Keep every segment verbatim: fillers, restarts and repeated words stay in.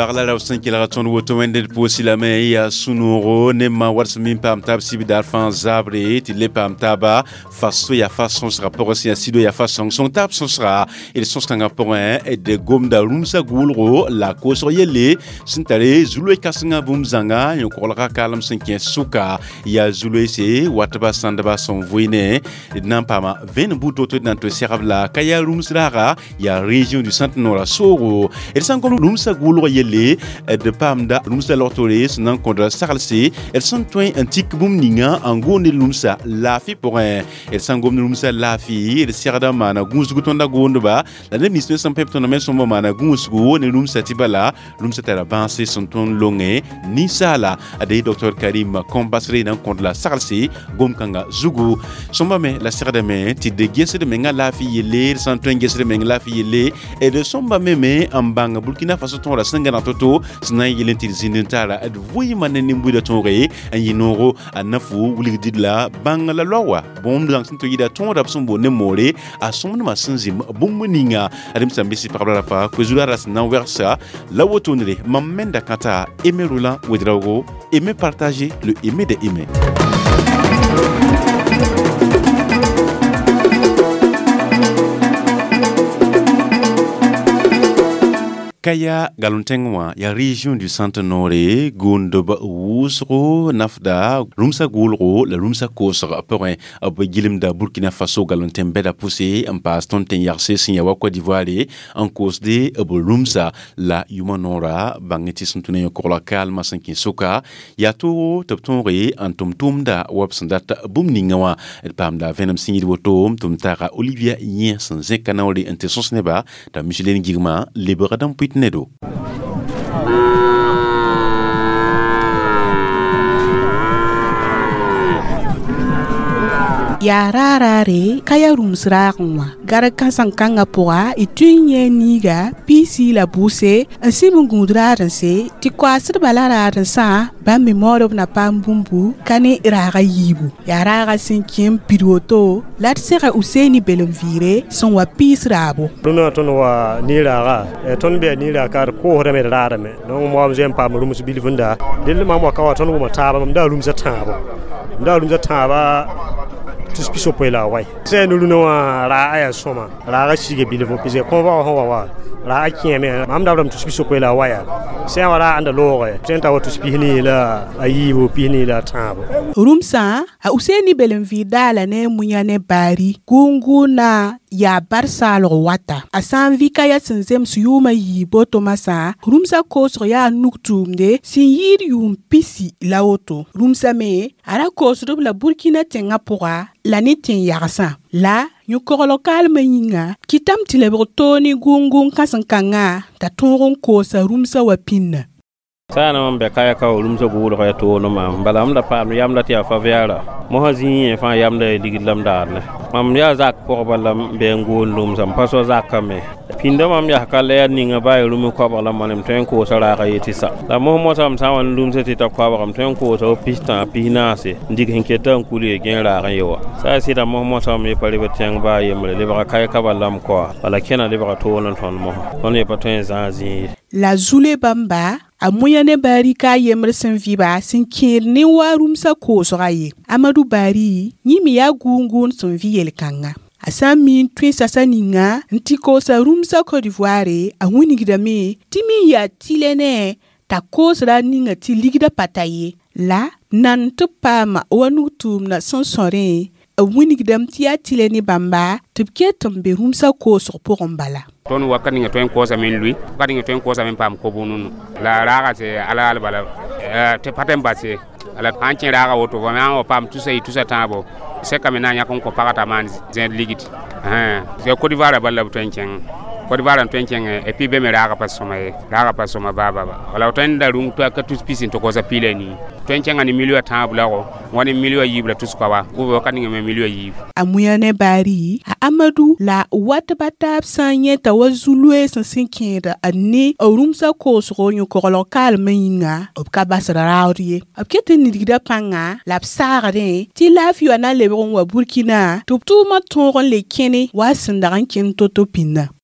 Pagla ra sẽn kelg tõnd woto wẽnd d pʋʋs lame yaa sũ-noogo ne ma wat sẽn min paam taab sibdaar fãa zabre tɩ le paam taaba faso yaa fa sõsga pʋgẽ sẽn yaa sido yaa fa sõng-sõng taab sõsga d sõs-kãngã pʋgẽ d gomda rũmsã gʋʋlgo la koosg yelle sẽn tare zu-loe kãsengã bũmb zãnga yõ-koglga kaalem sẽn kẽ sʋka yaa zu-loeese watba sãndba sẽn vʋɩ d na n paama vẽenem buud to-to d na n tɩ segb la ka yaa rũms raaga yaa région du centre nord soogo d sã n gom rũmsã gʋʋlg yelle d paamda rũmsã logtore sẽn na n kõdra saglse d sẽn tõe n tik bũmb ninga n gʋʋnd rũmsã laafɩ pʋgẽ d sã n gomd rũmsã laafɩ d segda n maana gũusgu tõnda goondba la neb nins me sẽn pẽb tõndã me sõmba maana gũusgu ne rũmsã tɩ bala rũmsã tara bãase sẽn tõnd longe ninsaala ade docteur Karim Kombasre na n kõd la saglse gom-kãngã zugu sõmba me la segdame tɩ d gesd menga laafɩ yelle d sã n tõe n gesd meng laafɩ yelle d sõmba me me n bãng Burkina Faso tõora sẽn gãneg to-to sẽn na n yel n tɩ d zĩnd n tara d vʋɩɩmã ne nin-buidã tõoge n yɩ noogo a na fu wilgdid la bãng la laoa bũmb zãng sẽn tɩ yɩda tõoda b sẽn boond ne moore a sõmdmã sẽn zĩm bũmb ninga ad m sã n bɩ pagb la rapa koe-zura ra sẽn na n wɛgsa la wotondre mam menda kãta Aimé Roland Ouedraogo, aimez partager le aimer des aimés. Kaya galon-tẽng wã yaa région du centre nord gũudb wʋsgo nafda rũmsã gʋʋlgo la rũmsã koosg pʋgẽ b gilmda Burkina Faso galon-tẽn bɛda pʋse n paas tõnd tẽn-yagse sẽn yaa wa Côte d'Ivoire n koosde b rũmsã la yʋma noora bãng tɩ sẽn tũ ne yõ-kogla kaalmã sẽn kẽ sʋka yaa toogo tɩ b tõoge n tʋm tʋʋmda wa b sẽn dat bũmb ninga wã d paamda vẽenem sẽn yɩɩd woto tɩ m taaga Olivia Yẽ sẽn zẽka naoore n tɩ sõs nebã t'a Micheline Gigma lebgd n pʋɩt nedo. Yaa raaraare ka yaa rũms raagẽ wã garg kãseng-kãngã pʋga y tũ n yẽ niiga piisi la bʋʋse n sɩb n gũud raadẽnse tɩ koaasdbã la raadẽnsã bãmb me maood b na paam bũmbu ka ne raaga yiibu yaa raaga sẽn kẽ n pid woto la d sega Useni Belem-vɩɩre sẽn wa piis raabo. Rũnã tõnd wa niiraaga tõnd bɩa niiraag ka d koosdame d raadame donc moam zoe n paam rũms bilfenda dẽnd mam wa ka wa tõnd wʋma taaba mam daa rũmsã tãabo m daa rũmsã tãaba tus piso-poe la a wai sã yaa rũnã wã raaga yaa sõma raaga siga bilfu pis kõn vao sẽn wa wa raaga kẽeme mam dabdame tus piso-poe la a waya sã wa raag ãnda looge sẽn ta wa tus pis-nii la a yiibu pis-nii la a tãabo. Rũmsã a Useni Belem-vɩɩr daala ne a Muyã ne baari gʋʋng-gʋʋnã yaa bar saalg wata a sã n vɩ ka yaa sẽn zems yʋʋmã yiib boto masã rũmsã koosg yaa nug tʋʋmde sẽn yɩɩd yʋʋm pisi la woto rũmsã me a ra koosd b la Burkina tẽngã pʋga la ne tẽn-yagsã la yõ-koglg kaalmã yĩnga kɩtame tɩ lebg toog ne gʋʋng-gʋʋng kãsem-kãngã t'a tõog n koosa rũmsã wa pĩnna. Sã n bɛ kaya ka rũmsã gʋʋlg yaa toog maam bala m da paam yamda tɩ yaa faviara mosã zĩig yẽ fãa yamda yaa ligd la m daarne mam yaa zak pʋgba la m bɩ n goond rũmsã m pa so zakã me pĩndã mam yaa ka la yaa ninga baa rũm koabg la manem tõe n koosa raaga yetɩ sa la mos mosã m sã n wa n rũmsã tɩ ta koabg m tõe n koosa w pistã pis-naase n dig sẽn keta n kul ye gẽ raag n ye wa sa a sɩda mos mosã m ye pa reb tẽng baa yembre lebga kae ka bala m koa bala kẽna lebga toog n tõnd mosã tõnd ye pa tõe n zãag zĩig ye. La zule bãmba a Muyã ne baari ka a yembr sẽn vɩba sẽn kẽed ne wa rũmsã koosga ye Amadu Baari yẽ me yaa gʋʋng-gʋʋnd sẽn vɩ yel-kãnga a sã n mi n tõe sasa ninga n tɩ koosa rũmsã Côte d'Ivoire a wĩnigdame tɩ me n yaa tɩlɛ ne t'a koosra a ninga tɩ ligdã pa ta ye la nan tɩ b paama wa nug-tʋʋmdã sẽn sõrẽ b wĩnigdame tɩ yaa tɩlɛ ne bãmba tɩ b ket n be rũmsã koosg pʋgẽ bala. Tõnd wakat ninga tõe n koosame n lʋɩ wakat ninga tõe n koosame n paam ko-bũnu la raaga tɩ alaal bala tɩ pa tõe n bas ye la sã n kẽ raaga woto fo me wa paam tusa yi tusa tãabo sɛkame na n yãk n kõ pagã t'a maan zẽed ligd Côte d'Ivoire bala b tõe n kẽng Côte d'Ivoire n tõe n kẽng et puis be me raaga pa sõma ye raaga pa sõma baa baba wala tõe n da rũng tɩ ka tus pis n tɩ kosa piila nii tõe n kẽnga ne milio tãab lago wa ne milio yiib la tus koaba ou wakat ninga me milio yiib. A Muyã ne baari a Amadu la watba taab sã n yẽta wa zu-loees sẽn kẽeda a ne b rũmsã koosgo yõ-koglg kaalmã yĩnga b ka basd raood ye b ket n nidgda pãnga la b saagdẽ tɩ laafɩ wã na n lebg n wa Burkina tɩ b tʋʋmã tõog n le kẽne wa sẽn dag n kẽnd to-to pĩnda.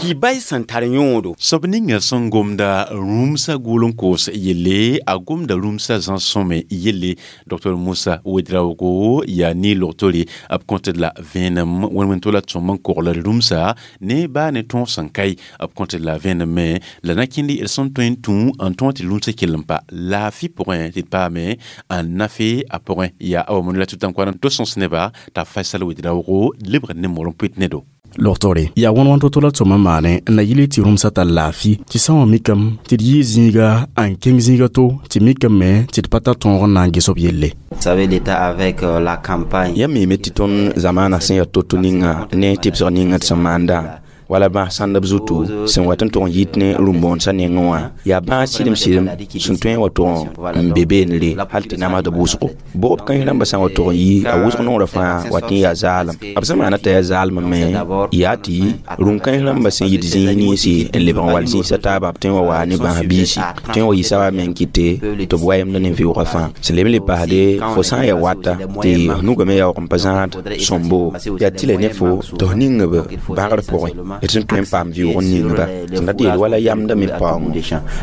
Tɩ bay sẽn tar yõodo. Soab ninga sẽn gomda rũmsã gʋʋl n koos yelle, a gomda rũmsã zãsõme yelle. Dr Musa Wedraogo yaa ne-logtore b kõtd la vẽenem wẽn-wẽn to la tõm n kogl rũmsa ne baa ne tõog sẽn kae b kõtd la vẽenem me la na kẽnd d sẽn tõe n tũ n tõog tɩ rũmsã kell n pa laafɩ pʋgẽ tɩ d paame n nafe a pʋgẽ. Yaa awa mon la tʋ-tãn-koan n to sõs neba t'a Faisal Wedraogo lebg ne mor n pʋɩt ne do. Logtore yaa wãn-wãn to-to la tõm n maane n na yɩle tɩ rũmsã tar laafɩ tɩ sã wã mikame tɩ d yɩɩ zĩiga n kẽng zĩiga to tɩ mikame me tɩ d pa tar tõog n na n ges b yelle. Savez, l'État avec euh, la campagne. Yãmb miime tɩ tõnd zamaana sẽn yaa to-to ninga ne tɩbsg ninga d sẽn maanda wala bãas sãndb zutu sẽn wat n tʋg n yit ne rũm-bõonesã nengẽ wã yaa bãas sɩdem sɩdem sẽn tõe n wa tʋg n be beenre hal tɩ namsd wʋsgo bʋgb kãens rãmbã sã n wa tʋg n yi a wʋsg nongrã fãa wat n yaa zaalem b sẽn maana t'a yaa zaalem me yaa tɩ rũm-kãens rãmbã sẽn yit zĩis ninsi n lebg n wall zĩisã taaba b tõe n wa waa ne bãas biisi tõe n wa yisa wa meng kɩte tɩ b wayemda ne vɩʋgã fãa sẽn leb n le paasde fo sã n yaa wata tɩ nugame yaoog n pa zãad sõmbo yaa tɩ la ne fo tɩ f ning b bãgr pʋgẽ d sẽn tõe n paam vɩʋg n ningba sẽn dat yeel wala yamda me paoongo.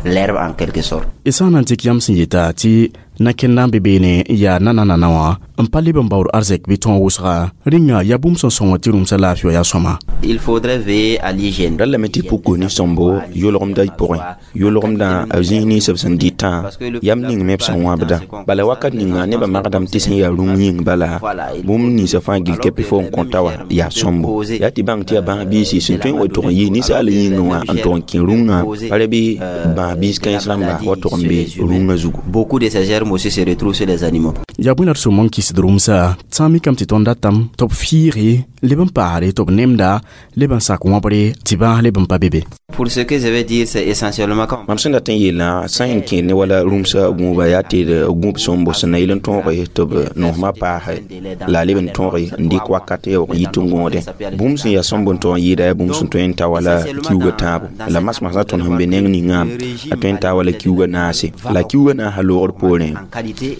L'herbe en quelque sorte. Y sã n na n tɩk yãmb sẽn yeta tɩ nakẽnd n be beene n yaa nanana wã n pa leb n baood arzɛk bɩ tõog wʋsga rĩnga yaa bũmb sẽn sõng tɩ rũmsã laafɩ wã yaa sõma. Il faudrait veiller à l'hygiène. Ra lame tɩ puk ne sõmbo yʋlgemdã pʋgẽ yʋlgemdã b zĩis nins b sẽn dɩtã yam ning me b sẽn wãbdã bala wakat ninga nebã magdame tɩ sẽn yaa rũm yĩng bala bũmb ninsã fãa gill kɛpɩ fo n kõta wã yaa sõmbo yaa tɩ bãng tɩ yaa bãas biisi sẽn tõe n wa tʋg n yɩ ninsaal yĩngẽ wã n tʋg n kẽ rũngã pa ra bɩ bãas biis kãens rãmba wa tʋg n be rũngã zugu. Beaucoup de ces germes aussi se retrouvent sur les animaux. Yaa bõe la d sõm n kɩsd rũmsã sã n mikame tɩ tõnd datame tɩ b fiige leb n paasre tɩ b nemda leb n sak wãbre tɩ bãas leb n pa be be. Pour ce que je vais dire, c'est essentiellement quand Mam sẽn dat n yeelã sã n kẽer ne wala rũmsã gũuba yaa tɩ d gũub sõmbo sẽn na yɩl n tõoge tɩ b nosmã paase la a leb n tõoge n dɩk wakat yaoog n yit n gõode bũmb sẽn yaa sõmb n tog n yɩɩda yaa bũmb sẽn tõe n ta wala kiuugã tãabo la masmasã tõnd sẽn be neng ningã a tõe n taa wala kiuugã naase la kiuugã naasã loogr poorẽ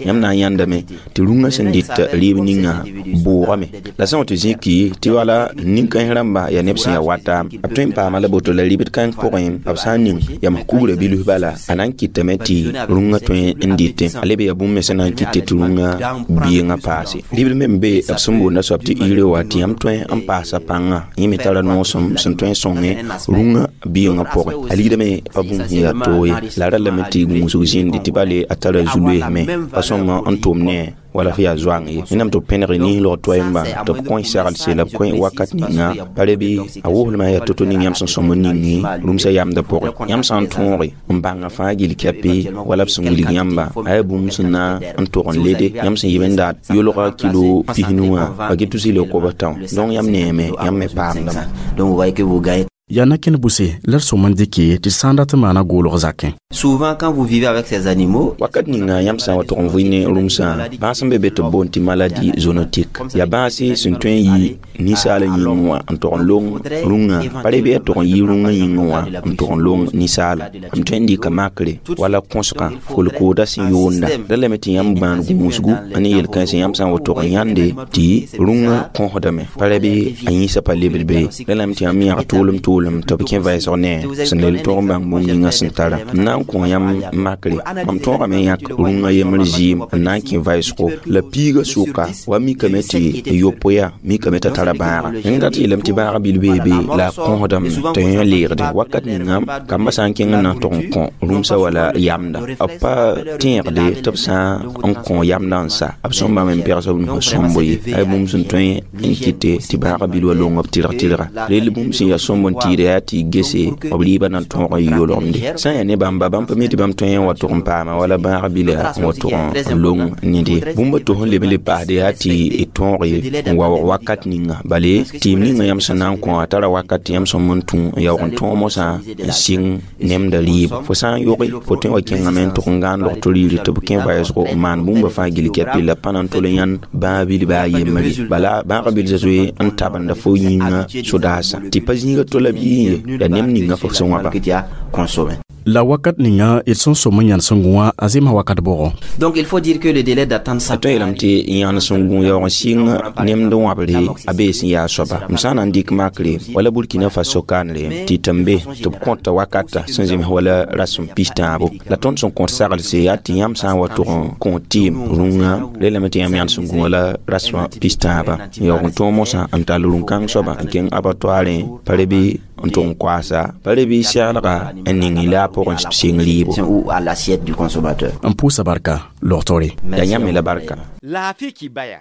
yãmb na n yãndame tɩ rũngã sẽn dɩt rɩɩb ninga bʋʋgame la sã n wa tɩ zĩki tɩ wala nin-kãens rãmba yaa neb sẽn yaa wata b tõe n paama la boto la rɩbd kãng pʋgẽ b sã n ning yam kugrã bilf bala a na n kɩtame tɩ rũngã tõe n dɩtẽ a leb yaa bũmb me sẽn na n kɩte tɩ rũngã biengã paase rɩbd me n be b sẽn boonda soab tɩ ire wa tɩ yãmb tõe n paasa pãngã yẽ me tara noosem sẽn tõe n sõnge rũngã biengã pʋgẽ a ligdame pa bũmb sẽn yaa toog ye la ra lame tɩ gũusg zĩndi tɩ bale a tara zu-loeesme pa sõma n tʋm ne wala f yaa zoang ye wẽnnaam tɩ b pẽneg nislg toɛɛmbã tɩ b kõ sagelse la b kõ wakat ninga pa re bɩ a woslmã yaa to-to ning yãmb sẽn sõm n ningi rũmsã yamdã pʋgẽ yãmb sã n tõoge n bãnga fãa gill kɛpɩ wala b sẽn wilg yãmba a yaa bũmb sẽn na n tʋg n lede yãmb sẽn yib n dat yʋlga kilo pisnu wã a get tus y kob tão donc yãmb neeme yãmb me paamdame. Donc vous voyez que vous gagnez. Yaa nakẽnd bʋse la d sõm n dɩke tɩ sã n dat n maana goolg zakẽ. Souvent, quand vous vivez avec ces animaux, wakat ninga yãmb sã n wa tʋg n vɩ ne rũmsã bãas sẽn be be tɩ b boond tɩ maladie zoonotique yaa bãase sẽn tõe n yi ninsaal yĩngẽ wã n tʋg n long rũngã pa re bɩ yaa tʋg n yi rũngã yĩngẽ wã n tʋg n long ninsaala m tõe n dɩka makre wala kõsgã kolkooda sẽn yoonda ra lame tɩ yãmb gbãan gũusgu ne yel-kãensẽ yãmb sã n wa tʋg n yãnde tɩ rũngã kõsdame pa ra bɩ a yĩnsã pa lebd be ra lame tɩ yãmb yãg tʋʋlem tʋʋlem tɩ b kẽ vɛɛsg ne sẽn lel tʋg n bãng bũmb ninga sẽn tara n na n kõ yãmb makre mam tõogame n yãk rũngã yembr zɩɩm n na n kẽ vɛɛsgo la piigã sʋka wa mikame tɩ yopoe mikame t'a tara bãaga n dat yeelame tɩ bãaga bil bee be la a kõsdame tɩ yẽ leegde wakat ninga kambã sã n kẽng n na n tʋg n kõ rũmsã wala yamda b pa tẽegde tɩ b sã n kõ yamdã n sa b sõm bãmb n pɛgs b nus sõmbo ye a yaa bũmb sẽn tõe n kɩte tɩ bãaga bil wa long b tɩrg tɩrga rel bũmb sẽn yaa sõmb n tɩɩda yaa tɩ gese b rɩɩbã na n tõog n yʋlgemde sã n yaa ne bãmba bãmb pa mi tɩ bãmb tõe n wa tʋg n paama wala bãag bila n wa tʋg n long nede bũmba tos n leb n le paasde yaa tɩ d tõoge n waoog wakat ninga bale tɩɩm ninga yãmb sẽn na n kõ a tara wakat tɩ yãmb sõm n tũ n yaoog n tõog mosã n sɩng nemda rɩɩb fo sã n yoge fo tõe n wa kẽngame n tʋg n gãan logto riiri tɩ b kẽ vɛɛsgo n maan bũmba fãa gill kɛpɩ la pa na n tol n yãnd bãag bil baa yembre bala bãaga bil zoe n tabenda fo yĩngã sodaasã tɩ pa zĩiga tola bɩ yẽ ye la nem ninga fo sẽn wãba. Que tu as consommé. La wakat ninga d sẽn sõm n yãnd sẽn gũ wã a zemsa wakat bʋgɔ. Donc il faut dire que le délai d'attente a tõe yeelame tɩ yãnd sẽn gũ yaoog n sɩng nemd wãbre a bee sẽn yaa soaba m sã n na n dɩk makre wala Burkina Faso kaanre tɩ tɩ n be tɩ b kõta wakata sẽn zems wala rasem pis-tãabo la tõnd sẽn kõt saglse yaa tɩ yãmb sã n wa tʋg n kõ tɩɩm rũngã relame tɩ yãmb yãnd sẽn gũ wala rasmã pis-tãaba n yaoog n tõog mosã n tall rũn-kãng soaba n kẽng abattoirẽ pa re bɩ n tʋg n koaasa pa re bɩ seglga n ning y la a pʋgẽ sɩng rɩɩbo. Ou à l'assiette du consommateur. N pʋʋsa barka logtore. Yaa yãmb me la barka. Laafɩ kibaya.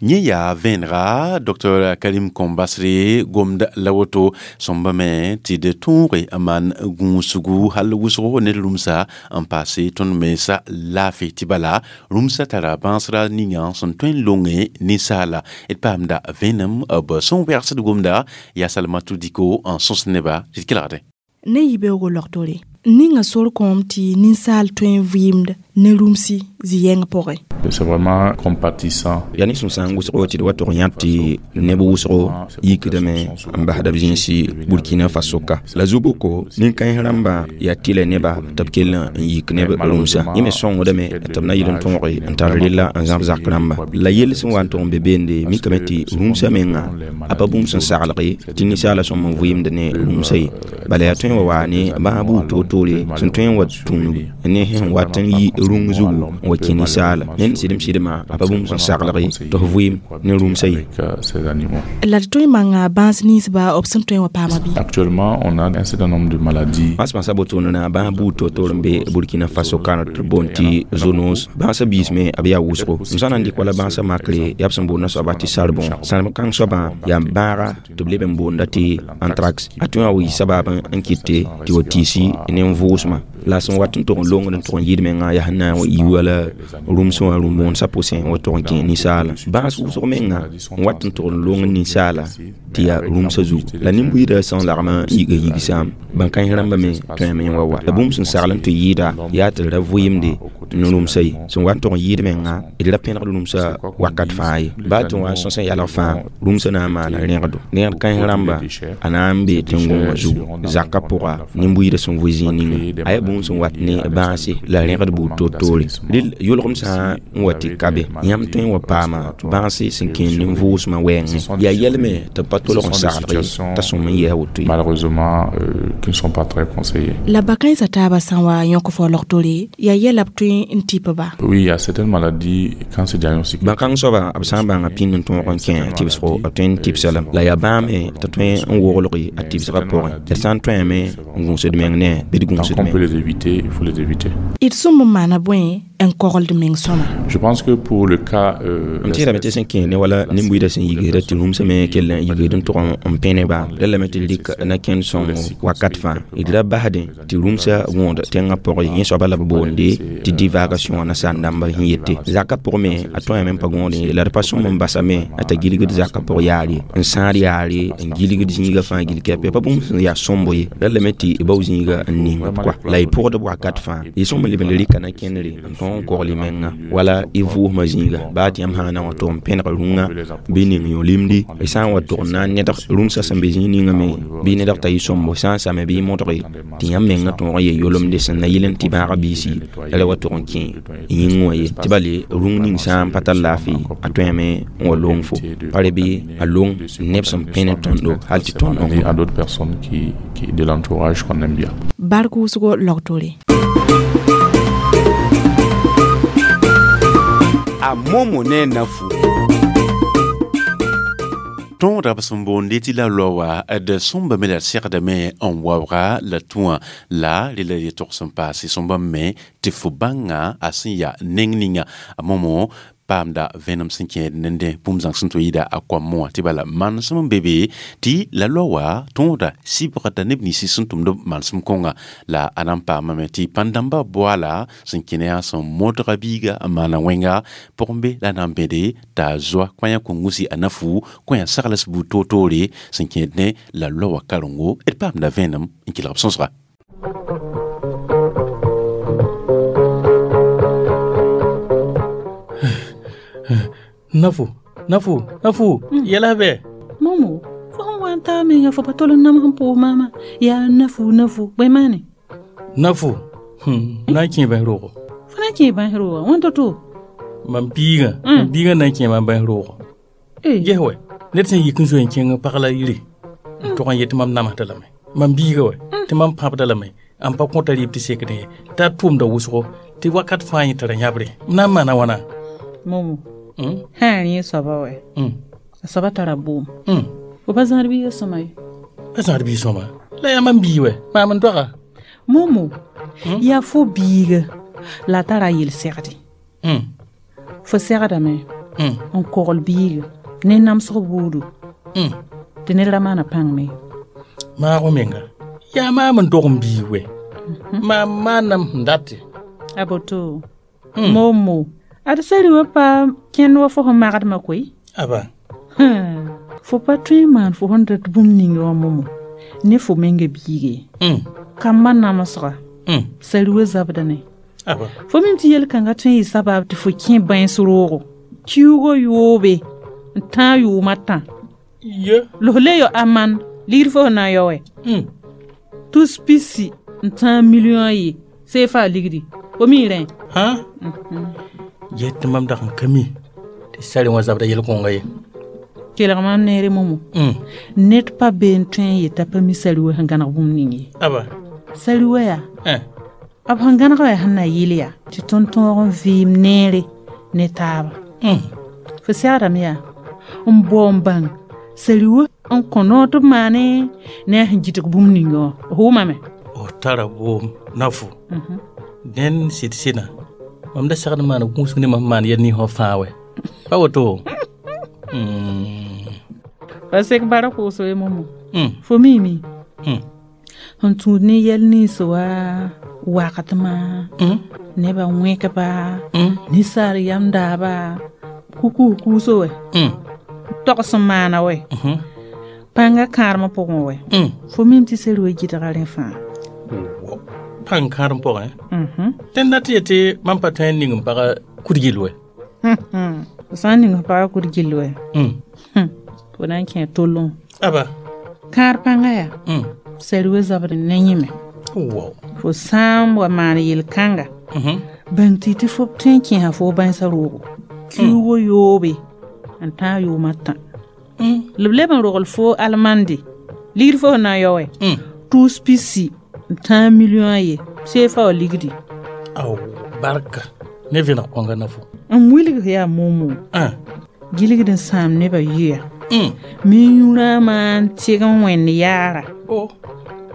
Yẽ yaa vẽenega Doctor Karim Kombasre gomd la woto sõmba me tɩ d tõoge n maan gũusgu hal wʋsgo ne d rũmsa n paase tõnd mensa laafɩ tɩ bala rũmsã tara bãasra ninga sẽn tõe n longe ninsaala d paamda vẽenem b sẽn wɛgsd gomda yaa Salmatou Diko n sõs neba tɩ d kelgdẽ. Ne yibeoogo logtore ninga sor kõom tɩ ninsaal tõe n vɩɩmd ne rũmsi zĩ-yɛng pʋgẽ. C'est vraiment compatissant. Yaa ne sẽn sã n wʋsgo tɩ d wa tʋg yãb tɩ neb wʋsgo yikdame n basda b zĩnsi Burkina Faso ka la zu-boko nin-kãens rãmba yaa tɩlɛ neba tɩ b kell n yik neb rũmsã yẽ me sõngdame tɩ b na yɩl n tõoge n tar rella n zãb zak rãmba la yell sẽn wa n tʋg n be beende mikame tɩ rũmsã menga a pa bũmb sẽn saglge tɩ ninsaala sõm n vɩɩmd ne rũmsã ye bala yaa tõe n wa waa ne bãag buud toor-toore sẽn tõe n wa tũud ne sẽn wat n yi rũng zugu n wa kẽ ninsaala ned sɩdem sɩdmã a pa bũmb sẽn saglg tɩ f vɩɩm ne rũmsã ye. La d tõe n manga bãas ninsba b sẽn tõe n wa paama bɩ. Actuellement, on a un certain nombre de maladies. Bãs-bãnsã wotone na bãas buud toor-toor n be Burkina Faso kaanr tɩ b boond tɩ zoonose bãasã biis me b yaa wʋsgo m sã n na n dɩk wala bãasã makre yaa b sẽn boonda soaba tɩ sarbõ sãrem kãng soabã yaa bãaga tɩ b leb n boonda tɩ anthrax a tõe n wa yɩ sabaab n kɩte tɩ wa tiisi ne n vʋʋsmã la sẽn wat n tʋg n longd n tʋg n yɩd menga yaa sẽn na n wa yɩ wala rũmsẽ wã rũm-bõonesã pʋsẽ n wa tʋg n kẽ ninsaala bãas wʋsg menga n wat n tʋg n long ninsaala tɩ yaa rũmsã zugu la nin-buiidã sẽn lagm n yiga yigsãam bãn-kãens rãmbã me tõeme n wa wa la bũmb sẽn sagl n tɩ yɩɩda yaa tɩ d ra vɩɩmde ne rũmsã ye sẽn wa n tʋg n yɩɩd menga d ra pẽnegd rũmsã wakat fãa ye baa tɩ wa n sõs n yalg fãa rũmsã na n maana rẽgdo rẽgd kãens rãmba a na n bee tẽn-gõngã zugu zakã pʋga nin-buiidã sẽn vʋ zĩig ninga a yaa bũmb sẽn wat ne bãase la rẽgd buud toor-toore rel yʋlgem sã n wa tɩ ka be yãmb tõe n wa paama bãase sẽn kẽer nin-vʋʋsmã wɛɛngẽ yaa yɛlme tɩ b pa tolg n saglg ye t'a sõm n yɛɛs woto ye. Malheureusement, euh, qui ne sont pas très conseillés. La ba-kãensã taabã sã n wa yõk fo logtore yaa yɛla b tõe n tɩp ba. Oui, il y a certaines maladies quand c'est diagnostiqué. Bãn-kãng soaba b sã n bãnga pĩnd n tõog n kẽ tɩbsgo b tõe n tɩbsa lame la yaa bãame tɩ tõe n woglg a tɩbsgã pʋgẽ d sã n tõeme n gũusd meng ne bɩ d gũusd Tant qu'on meng. peut les éviter, il faut les éviter. D sõm n maana bõe n kogld meng sõma. Je pense que pour le cas euh, M tẽedame tɩ sẽn kẽ ne wala nin-buiidã sẽn yigsda tɩ rũmsã me kell n yigd n tʋg n pẽ neba la lame tɩ d rɩk na-kẽnd sõngo wakat fãa d ra basdẽ tɩ rũmsã gõod tẽngã pʋgẽ yẽ soaba la b boonde tɩ divagation wã nasaar dãmba sẽn yete zakã pʋgẽ me a tõeme n pa gõod ye la d pa sõm n basame a t'a gilgd zakã pʋg yaar ye n sãad yaare n gilgd zĩigã fãa gil kɛpɛ pa bũmb sẽn yaa sõmbo ye la lame tɩ bao zĩiga n ning b kɔa la y pʋgd b wakat fãa y sõm n leb n rɩka na-kẽndre n tõog n kogl y menga wala y vʋʋsmã zĩiga baa tɩ yãmb sã n na n wa tʋg n pẽneg rũngã bɩ ning yõ-limdi y sã n wa tʋg n na n nedg rũmsã sẽn be zĩig ninga me bɩ nedg t'a yɩ sõmbo sã n same bɩ y modge tɩ yãmb menga tõog n ye yolemde sẽn na yɩl n tɩ bãagã biisi la ra wa tʋg n kẽ yĩng wã ye tɩ bale rũng ning sã n pa tar laafɩ a tõeme n wa long fo pa re bɩ a long neb sẽn pẽ ne tõndo hal tɩ tõnd à d'autres personnes qui, qui de l'entourage qu'on aime bien. Bark wʋsgo logtore. A momo ne nafu. Tõodã b sẽn boonde tɩ la loa d sõmba me la d segdame n waooga la tũwã la rela yetog sẽn paase sõmba me tɩ fo bãnga a sẽn yaa neng ninga a momo paamda vẽenem sẽn kẽed nende bũmb zãng sẽn tɩ yɩɩda a koamẽ wã tɩ bala manesem n be be tɩ la loa tõoda sɩbgda neb ninsẽ sẽn tʋmd manesem kõnga la a na n paamame tɩ pãn-dãmbã boaala sẽn kẽne yaa sẽn modga biiga n maana wẽnga pʋgẽ be la na n bẽde t'a zoa kõ-yã kongusi a na fu kõ-yã sagls buud toor-toore sẽn kẽed ne la loa karengo d paamda vẽenem n kelg b sõsga. Nafu, nafu, nafu, mm. Yɛla bɛ. Momo, fo sẽn wa n t'a menga fo pa tol n nams n pʋʋs maama yaa nafu nafu bõe maane nafu hmm. na n kẽ bãs roogo fo na n kẽ bãs rooga wãn to-to mam biigã mam biigã na n kẽ mam bãs roogo ges wɛ ned sẽn yik n zoe n kẽng pag la yire n tog n yet tɩ mam namsda lame mam biiga wɛ tɩ mam pãbda lame n pa kõta rɩɩb tɩ sekdẽ ye t'a tʋʋmda wʋsgo tɩ wakat fãa yẽ tara yãbre m na n maana wãna momo sã n rẽ soaba wɛ a soaba tara boom fo pa zãad biiga sõma ye pa zãad biig sõma la yaa mam bii wɛ maam n doaga momo yaa fo biiga la a tara a yel-segde fo segdame n kogl biiga ne namsg buudu tɩ ned ra maana pãng me maago menga yaa maam n dog n biig wɛ maam maanam sẽn date a boto momo ad sari wã pa kẽnd wa fo sẽn magdmã koe aba fo pa tõe n maan fo sẽn dat bũmb ninga wã momo ne fo menga biige kambã namsga sari wã zabda ne fo mim tɩ yel-kãngã tõe n yɩ sabab tɩ fo kẽ bãens roogo kiuugã yoobe n tãag yʋʋmã tã la f le yao amand ligd fo sẽn na n yao wɛ tus pisi n tãag milliõ a ye seefa ligdi fo mi rẽ yet tɩ mam dag n ka mi tɩ sari wã zabda yel-kõnga ye kelg mam neere momo ned pa be n tõe n yeta pa mi sari wã sẽn gãneg bũmb ning ye aba sari wã yaa b sẽn gãneg yaa sẽn na yɩl yaa tɩ tõnd tõog n vɩɩm neere ne taaba fo segdame yaa n bao n bãng sari wã n kõ noor tɩ b maane ne a sẽn gɩdg bũmb ninga wã f wʋmame f tara boom nafu dẽnd sɩd sɩdã mam da segd n maana gũusg ne mam maan yɛl ninsã fãa wɛ pa woto pa sek bara kʋʋs ye momo fo miime sẽn tũud ne yɛl nins wa wakatmã nebã wẽkba ninsaal yam daaba kukus kuuso wɛ togs n maana wɛ pãngã kãadmã pʋgẽ wɛ fo mim tɩ sari wa gɩdga rẽ fãa pãng kãadem pʋgẽ dẽnd dat yetɩ mam pa tõe n ning n paga kud-gill wɛ fo sã n ning f paga kud-gill wɛ fo na n kẽ tollẽ aba kãad pãngã yaa sari wa zabd ne yẽme fo sã n wa maan yel-kãnga bãng tɩ tɩ fo tõe n kẽesa fo bãensã roogo kiuugã yoobe n tãag yʋʋmã tã la b leb n rogl fo almande ligd fo sẽn na n yao wɛ tʋʋs pisi n tãag milliõ a ye seefa wa ligdi ao barka ne vẽneg kõnga nafo n wilg yaa momo gilgd n sãam nebã yʋya mi yũ-rãamã n tɩg n wẽnd yaara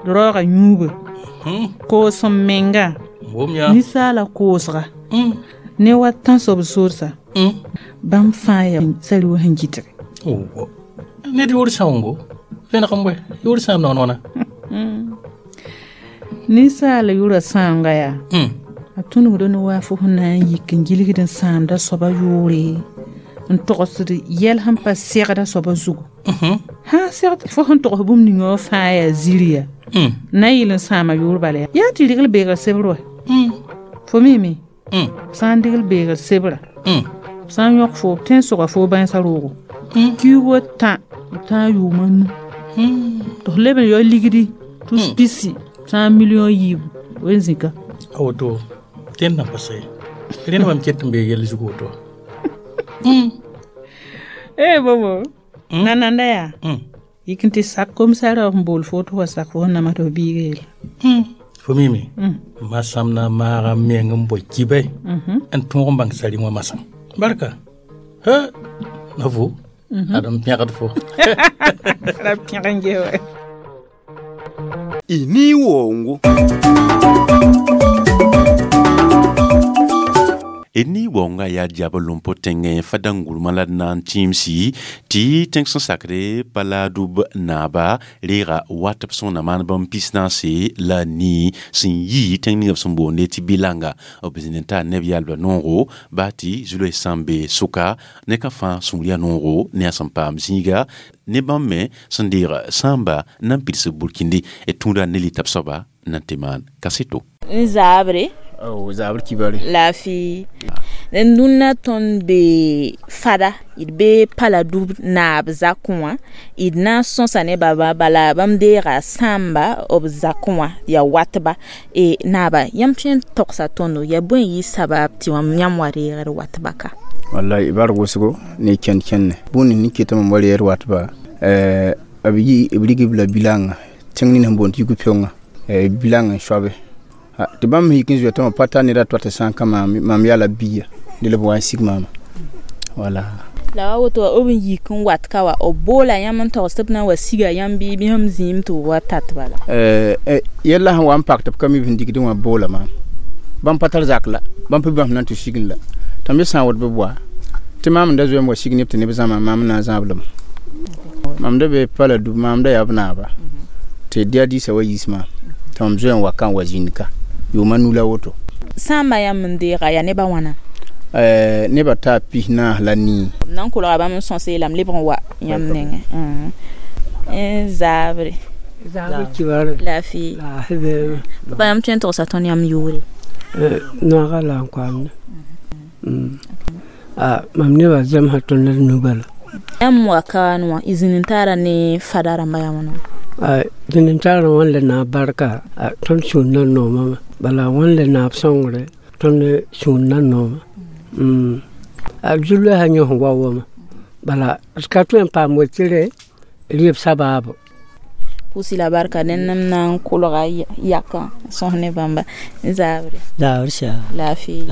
raooga yũuba koos n menga ninsaala koosga ne wa tãnsoab sorsa bãmb fãa yaa sari wã sẽn gɩdge ned yʋʋr sãoongo vẽneg n bõe yʋʋr sãam naoon wãna ninsaala yʋra sãamga yaa a tũnugda ne waa fo sẽn na n yik n gilgd n sãamda soaba yʋʋre n togsd yɛl sẽn pa segda soaba zugu sã segd fo sẽn togs bũmb ninga wã fãa yaa ziri yaa na n yɩl n sãama yʋʋr bala yaa yaa tɩ regl beegr sebr wɛ fo miime sã n degl beegr sebra sã n yõk fo b tõe n sʋga fo bãensã roogo kiuugã tã n tãag yʋʋmã nu tɩ f leb n yao ligdi tʋs pisi tãag milliõ yiibu wen zĩka a woto dẽnd na pa sa ye rẽnd mam ket n bee yɛl zug woto ee bobo nananda yaa yik n tɩ sak komsarã f n bool fo tɩ wa sak fo sẽn nama tɩ f biiga yel fo mime masam na maaga meng n boe kibɛ n tõog n bãng sari wã masã barka ha na vo ad n pẽgd fo ra pẽg n ges wɛ y nii woongo ni waoongã yaa diab lompo tẽngẽ fa-dãn-gʋrmã la d na n tĩimsi tɩ tẽng sẽn sakre pa laadub naaba reega wat b sõngna maan bãmb pis-naase la nii sẽn yi tẽng ninga b sẽn boonde tɩ bilanga b zĩnd n taa neb yalbã noogo baa tɩ zu-loees sã n be sʋka ne ka fãa sũur yaa noogo ne a sẽn paam zĩiga ne bãmb me sẽn deeg sãamba na n pids b burkindi d tũuda ne lita b soaba na n tɩ maan kaseto n zaabre Oh, zabr kibare. Laafɩ dũnna tõnd be fada d be Paladub naab zakẽ wã d na n sõsa ne baba bala bãmb deega sãamba b zakẽ wã yaa watba e naaba yãmb tõe n togsa tõndo yaa bõe n yɩ sabab tɩ yãmb wa reegd watba ka wallahi bar wʋsgo ne kẽnd kẽnne bũmb nins ket mam wa reer watba b yi b rig b la bilanga tẽng nin sẽn boond tɩ yug-pɛoongã bilanga n soabe tɩ bãmb yik n zoe tɩ pa tar ned a toa tɩ sã n ka maam mam yaa la bia dẽ la b wa n sig maama wala la wa woto wa b n yik n wat ka wa b boola yãmb n togs tɩ b na n wa siga yãmb bɩ bɩ sẽm zĩim tɩ b wa tat bala yɛlla sẽn wa n pak tɩ b ka mi b sẽn digdẽ wã boola maam bãmb pa tar zak la bãmb pa bãmb na n tɩ sign la tɩ m sã n wot b wa tɩ maam n da zoe n wa sig neb tɩ neb zãma maam na n zãab lame mam da be Paladub maam da yaa b naaba tɩ dia diisã wa yiis maam tɩ mam zoe n wa ka n wa zĩnd ka yʋʋma nu la woto sãamba yãmb n deega yaa nebã wãna nebã taa pis naas la nii b na n kolga bãmb n sõse la m lebg n wa yãmb nengẽ zaabre laafɩ papa yãmb tõe n togsa tõnd yãmb yʋʋre noaga la n koamda mam nebã zemsã tõnd d nu bala yãmb wa ka wã y zĩnd n taara ne fada rãmba yaa wãna zĩnd n taara wãn le naab barka tõnd sũur na noomame bala wãn le naab sõngre tõnd sũur na nooma b zu-loɛɛsã yõ sẽn wa wama bala d ka tõe n paam wetere rɩɩb sabaabo pʋʋsi la barka dẽnd m na n kolga yakã sõs ne bãmba zaabre zaabr sia laafɩ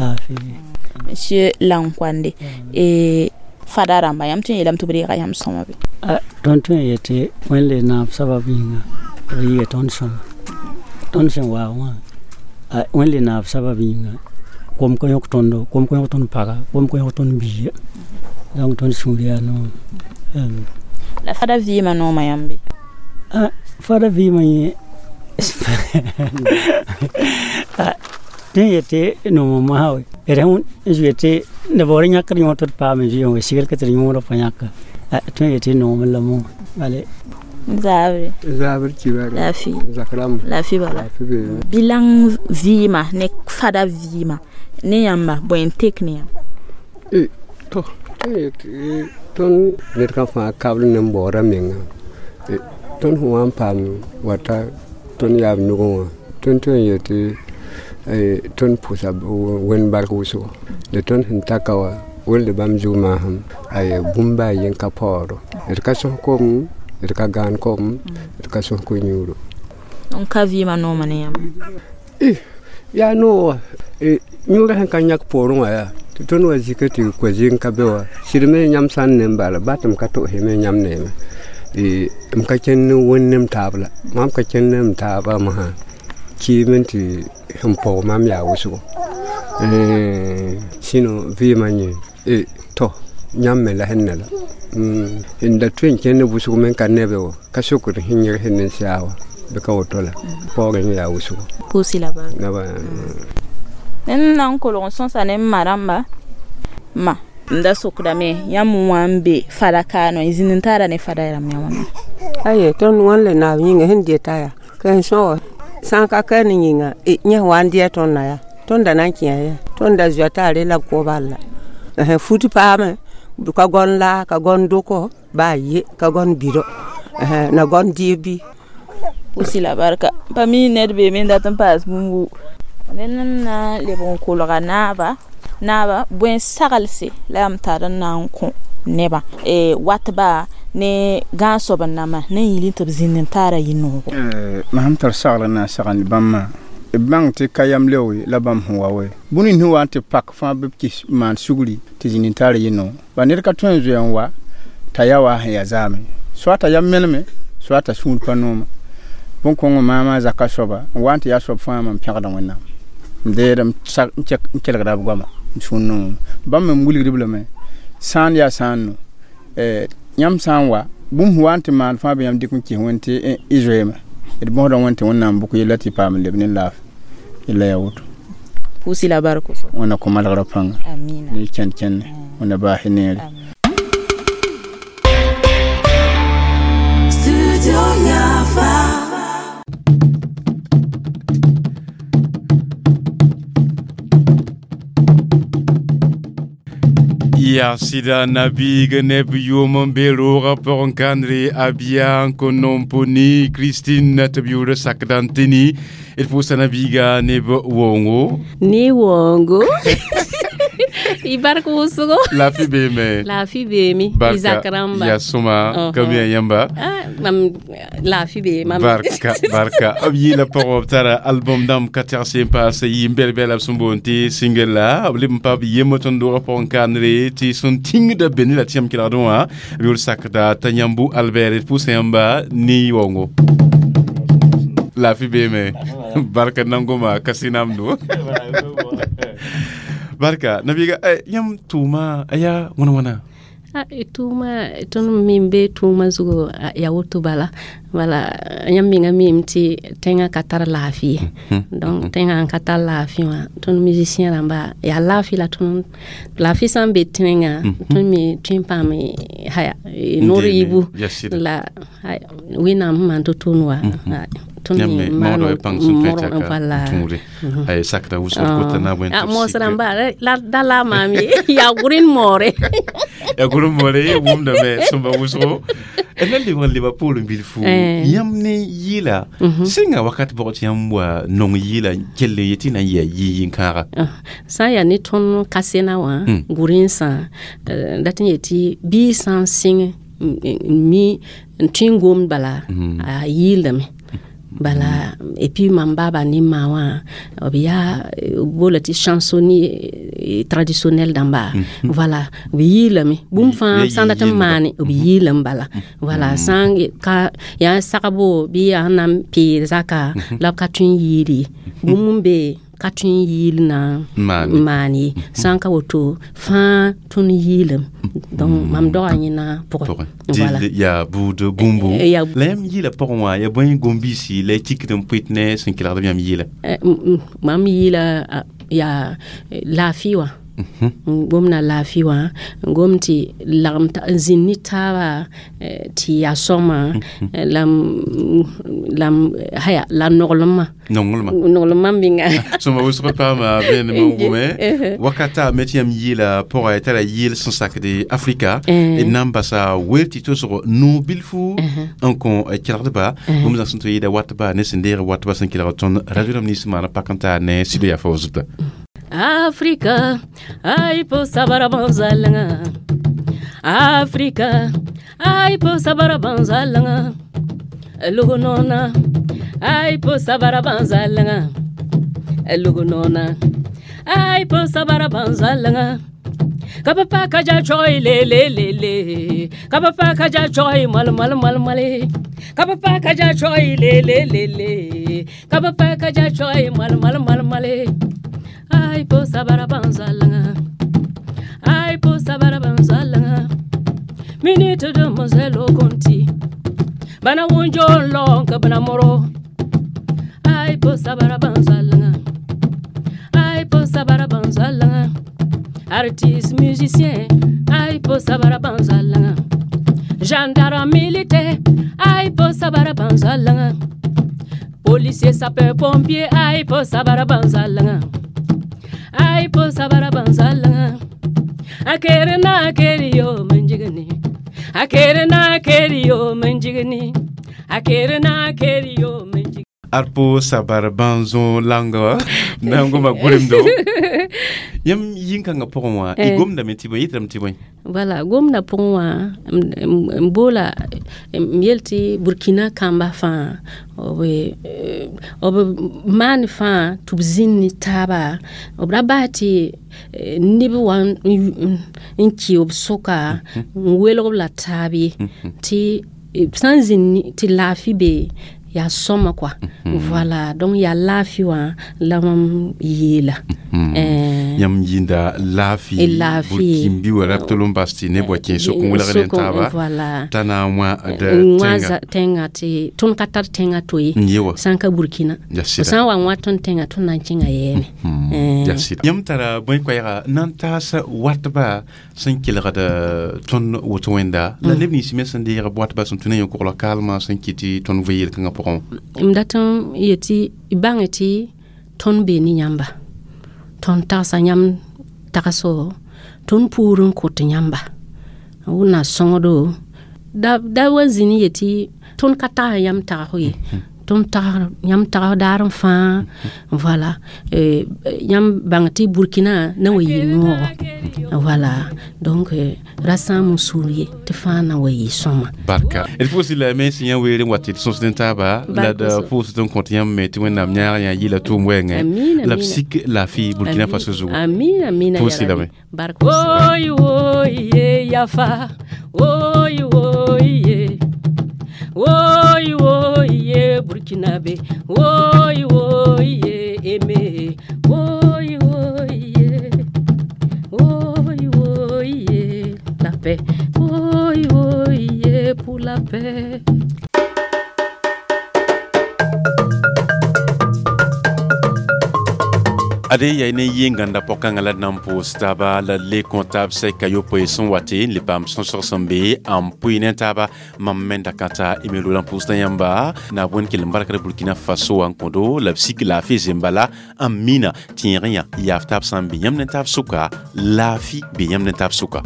monsieur Lankwande e fada rãmba yãmb tõe n yeelame tɩ b reega yãmb sõma be tõnd tõe n yetɩ wẽnd le naab sabab yĩnga b yɩɩga tõnd sõma tõnd sẽn waa wã wẽnd le naab sabab yĩnga kom ka yõk tõndo kom ka yõk tõnd paga kom ka yõk tõnd biiga donc tõnd sũur yaa noom la fada vɩɩmã noomã yãmb be fada vɩɩmã yẽ tõe n yetɩ noomã mosã we d sẽn zoe tɩ neb baoor yãkd yõor tɩ d paam n zoe wã sigl ka tɩ d yõodã pa yãka tõe n yetɩ noomẽ la mo bale zaabre zabr kibare laafɩ zakrãmb laafɩ bala bilang vɩɩmã ne fada vɩɩmã ne yãmba bõe n tek ne yãmb to tõnd ned ka fãa kabl ne n baoora menga tõnd sẽn wa n paam wata tõnd yaab nugẽ wã tõnd tõe n yetɩ tõnd pʋsa wẽnd bark wʋsgo la tõnd sẽn ta ka wã welde bãmb zug maasem bũmb baa yen ka paooro d ka sõs kom d ka gãan kom d ka sõs ko-yũuro n ka vɩɩmã noomã ne yãmb yaa noog wa yũurã sẽn ka yãk poorẽ wã yaa tɩ tõnd wa zika tɩ ko-zɩng ka be wa sɩd me yãmb sã n ne n bala ba tɩ m ka to'ose me yãmb neeme m ka kẽnd ne wẽnd ne m taab la mam ka kẽnd ne m taabã mosã kiime tɩ sẽn paoog mam yaa wʋsgo sĩno vɩɩmã yẽ tɔ yãmb me la sẽn ne la n da tõe n kẽnd ne wʋsg me n ka nebe wa ka sokd sẽn yẽg sẽn ne n yaa wa bɩ ka woto la paoogẽ yẽ yaa wʋsgo pʋʋsi la barka ned na n kolg n sõsa ne m ma rãmba ma n da sokdame yãmb wã n be fada kaanõ y zĩnd n taara ne fada rãmb yã wãna aye tõnd wãn le naab yĩnga sẽn deta yaa ka sẽn sõa sã n ka ka ne yĩnga yẽ wa n dɩa tõnd na yaa tõnd da na n kĩa yaa tõnd da zoa t'a re la b kʋ bal la fut paame ka gõn laa ka gõn doko baa ye ka gõn bido na gõn dɩɩb bɩ pʋʋsi la barka pa mi ned beeme n dat n paas bũmbu ned n na n leb n kolga naaba naaba bõe saglse la yãmb tar n na n kõ nebã watba ne gãag soab n nama ne n yĩl tɩ b zĩnd n taara yɩ-noogo mam sẽn tar sagl n na n sagend bãmb b bãng tɩ ka yam leooe la bãmb sẽn wa wɛ bũmb nins sẽn wa n tɩ pak fãa bɩ b kɩs maan sugri tɩ zĩnd n taara yɩ-noog ba ned ka tõe n zoe n wa t'a yaa wa sẽn yaa zaame soa t'a yam meneme soa t'a sũur pa nooma bõn-kõngã maamã zaka soaba n wa n tɩ yaa soab fãa mam pẽgda Wẽnnaam n deed n kelgda b goama n sũur noomã bãmb me n wilgd b lame sã n yaa sã n no yãmb sã n wa bũmb sẽn wa n tɩ maan fãa bɩ yãmb dɩk n kɩs wẽnd tɩ y zoeeme d bõsda wẽnd tɩ Wẽnnaam bʋk yella tɩ paam n leb ne laafɩ yella yaa woto pʋʋsi la bark Wẽnna kõ malgrã pãnga ne kẽnd kẽnne Wẽnna baas neere. Yaa sɩda nabiig neb yʋʋm n be roogã pʋgẽ kãndre Abia n Konomponi Christine tɩ b yʋʋr sakda n tɩni d pʋʋsa nabiiga neb woongo. Ne woongo, y bark wʋsgo. Laafɩ beeme? Laafɩ beeme, y zak rãmba. Yaa sõma, ka mi yãmba? Mam laafɩ be mam. Barka, barka. B yɩɩla pʋgẽ b tara album dãmb ka tɛgs n paas yɩ n bɛl-bɛla b sẽn boond tɩ single la b leb n pa b yembr tõnd doogã pʋgẽ kandre tɩ sẽn tĩngda be ne la tɩ yãmb kelgdẽ wã b yʋʋr sakda t'a yãmbu Albert. D pʋʋsa yãmba ne waoongo. Laafɩ beeme, barka. Nangoma ka sɩnamdo, barka nabiiga. Yãmb tʋʋma a yaa wãna wãna? Tʋʋma tõnd me be tʋʋma zugu yaa woto bala bala yãmb menga mim tɩ tẽngã ka tar laafɩ ye. Donc tẽngã n ka tar laafɩ wã, tõnd musicien rãmba yaa laafɩ la tõnd laafɩ sã n be tẽngã, tõnd me tõe n paam haya noor yiibu la Wẽnnaam sẽn maan to-to wa tõnd me maan wala ay sakda wʋsg kota na bõe. Moos rãmba la da la maam ye, yaa gʋrẽn moore. Yaa gʋrẽn moore, wʋmdame sõmba wʋsgo d na lebg n leba poorẽ bilfu. Yãmb ne yɩɩla sẽnga wakat bʋg tɩ yãmb wa nong yɩɩla kell n yetɩ na n yɩ yɩ-yĩn-kãaga? Sã n yaa ne tõnd kasena wã gʋrẽnsã dat n yetɩ bɩ sã n sɩng n mi n tõe n gomd bala a yɩɩldame bala. Et puis mam baba ne ma wã b yaa bola tɩ chansonnier traditionnel dãmba, voilà, b yɩɩlame bũmb fãa sã n dat n maane b yɩɩlame bala. Voilà, sã n ka yaa sagbo bɩ yaa sẽn na n peed zaka la b ka tõe n yɩɩl ye, bũmb n be ka tõe n yɩɩl na n maan ye. Sã n ka woto fãa tõnd yɩɩlame, donc mam doga yẽna pʋgẽ. Voilà, yaa buud bũmbu la yãmb yɩɩla pʋgẽ wã yaa bõe gom-biisi la y tikd n pʋɩt ne sẽn kelgd b yãmb yɩɩla? Mam yɩɩla yaa laafɩ wã, n gomda laafɩ wã, n gom tɩ lagem n zĩnd ne taaba tɩ yaa sõma la la haya la noglemã. Nonglmã. Nonglmã menga. Sõma wʋsg paama vẽenem n gome wakata me tɩ yãmb yɩɩla pʋgã tara yɩɩl sẽn sakde Afrika d na n basa wel tɩ tosg no bilfu n kõ kelgdba bũmb zãng sẽn tɩ yɩɩda watba ne sẽn deeg watba sẽn kelg tõnd radio rãmb nins maana pak n taar ne sɩd yaa fa wa zuta. Afrika, ai po sabara banzalanga. Afrika, ai po sabara banzalanga. Lugunona, ai po sabara banzalanga. Lugunona, ai po sabara banzalanga. Kabapa kaja choi le le le le. Kabapa kaja choi mal mal mal mal. Kabapa kaja choi le le le le. Kabapa kaja choi mal mal mal mal. Ai po sabara banzalanga. Ai po sabara banzalanga. Minute de mozelo konti. Bana wunjo long ka bana moro. Ai po sabara banzalanga. Ai po sabara banzalanga. Artiste musicien, ai po sabara banzalanga. Gendarme militaire, ai po sabara banzalanga. Policier sapeur pompier, ai po sabara banzalanga. Ai po sabara banzalanga. Akere na akere yo manjigani. Akere na akere yo manjigani. Akere na akere yo manjigani. Arpo sabar banzo langa na n goma gʋremdo. Yãmb yĩn-kãngã pʋgẽ wã y gomdame tɩ bõe, yɩtame tɩ bõe? Voilà, gomda pʋgẽ wã n boola m yel tɩ Burkina kamba fãa b b maan fãa tɩ b zĩnd ne taaba, b ra bas tɩ neb wa n kɩ b sʋka n welg b la taab ye, tɩ sã n zĩnd tɩ laafɩ be yaa sõma quoi. Voilà, donc yaa laafɩ wã la mam yeela. Yãmb yĩnda laafɩ. Laafɩ. Burkimbi wa rab tɩ l n bas tɩ neb wa kẽ sok n welgd n taaba t'a na n wã d tẽnga tɩ tõnd ka tar tẽngã to ye sã n ka Burkina sã n wa n wã tõnd tẽngã, tõnd na n kẽnga yɛɛme. Yãmb tara bõe koɛɛga na n taas watba sẽn kelgd tõnd woto wẽnda la neb nins me sẽn deeg watba sẽn tũ ne yõ-kogla kaalmã sẽn kɩt tɩ tõnd vɩ yel-kãngã pʋgẽ? M dat n yetɩ bãnge tɩ tõnd bee ne yãmba, tõnd tagsa yãmb tagso Tõnd pʋʋr n kõt yãmba. Wẽnna sõngdo da da wa zĩni yetɩ tõnd ka tags yãmb tagsg ye. Tõnd tags yãmb tags daar n fãa voilà yãmb bãng tɩ Burkina na wa yɩ noogo voilà donc ra sãam n sũur ye tɩ fãa na wa yɩ sõma. Barka d pʋʋsd la me sẽn yã weere n wa tɩ d sõsd n taaba la d pʋʋsd n kõt yãmb me tɩ Wẽnnaam yãag yã yɩla tʋʋm wɛɛngẽ la b sik laafɩ Burkina Faso zugu. Amina amina pʋʋsd lame. Barka. Woy woy ye yafa woy woy ye woy woy ye Burkinabe woy woy ye eme woy woy ye woy woy ye la paix woy woy ye pour la paix. Ade ya ne yenganda pɔkãngã la d na n pʋʋs taaba la le kõ taab sɛka yopoe sẽn wa tɩ n le paam sõsg sẽn be n pʋɩ ne taaba mam me da kãta emelo la n pʋʋsda yãmba na b wẽnd kell n barkd Burkina Faso wã n kõdo la b sik laafɩ zembala n mina tẽeg yã yaaf taab sã n be yãmb ne taab sʋka laafɩ be yãmb ne taab sʋka.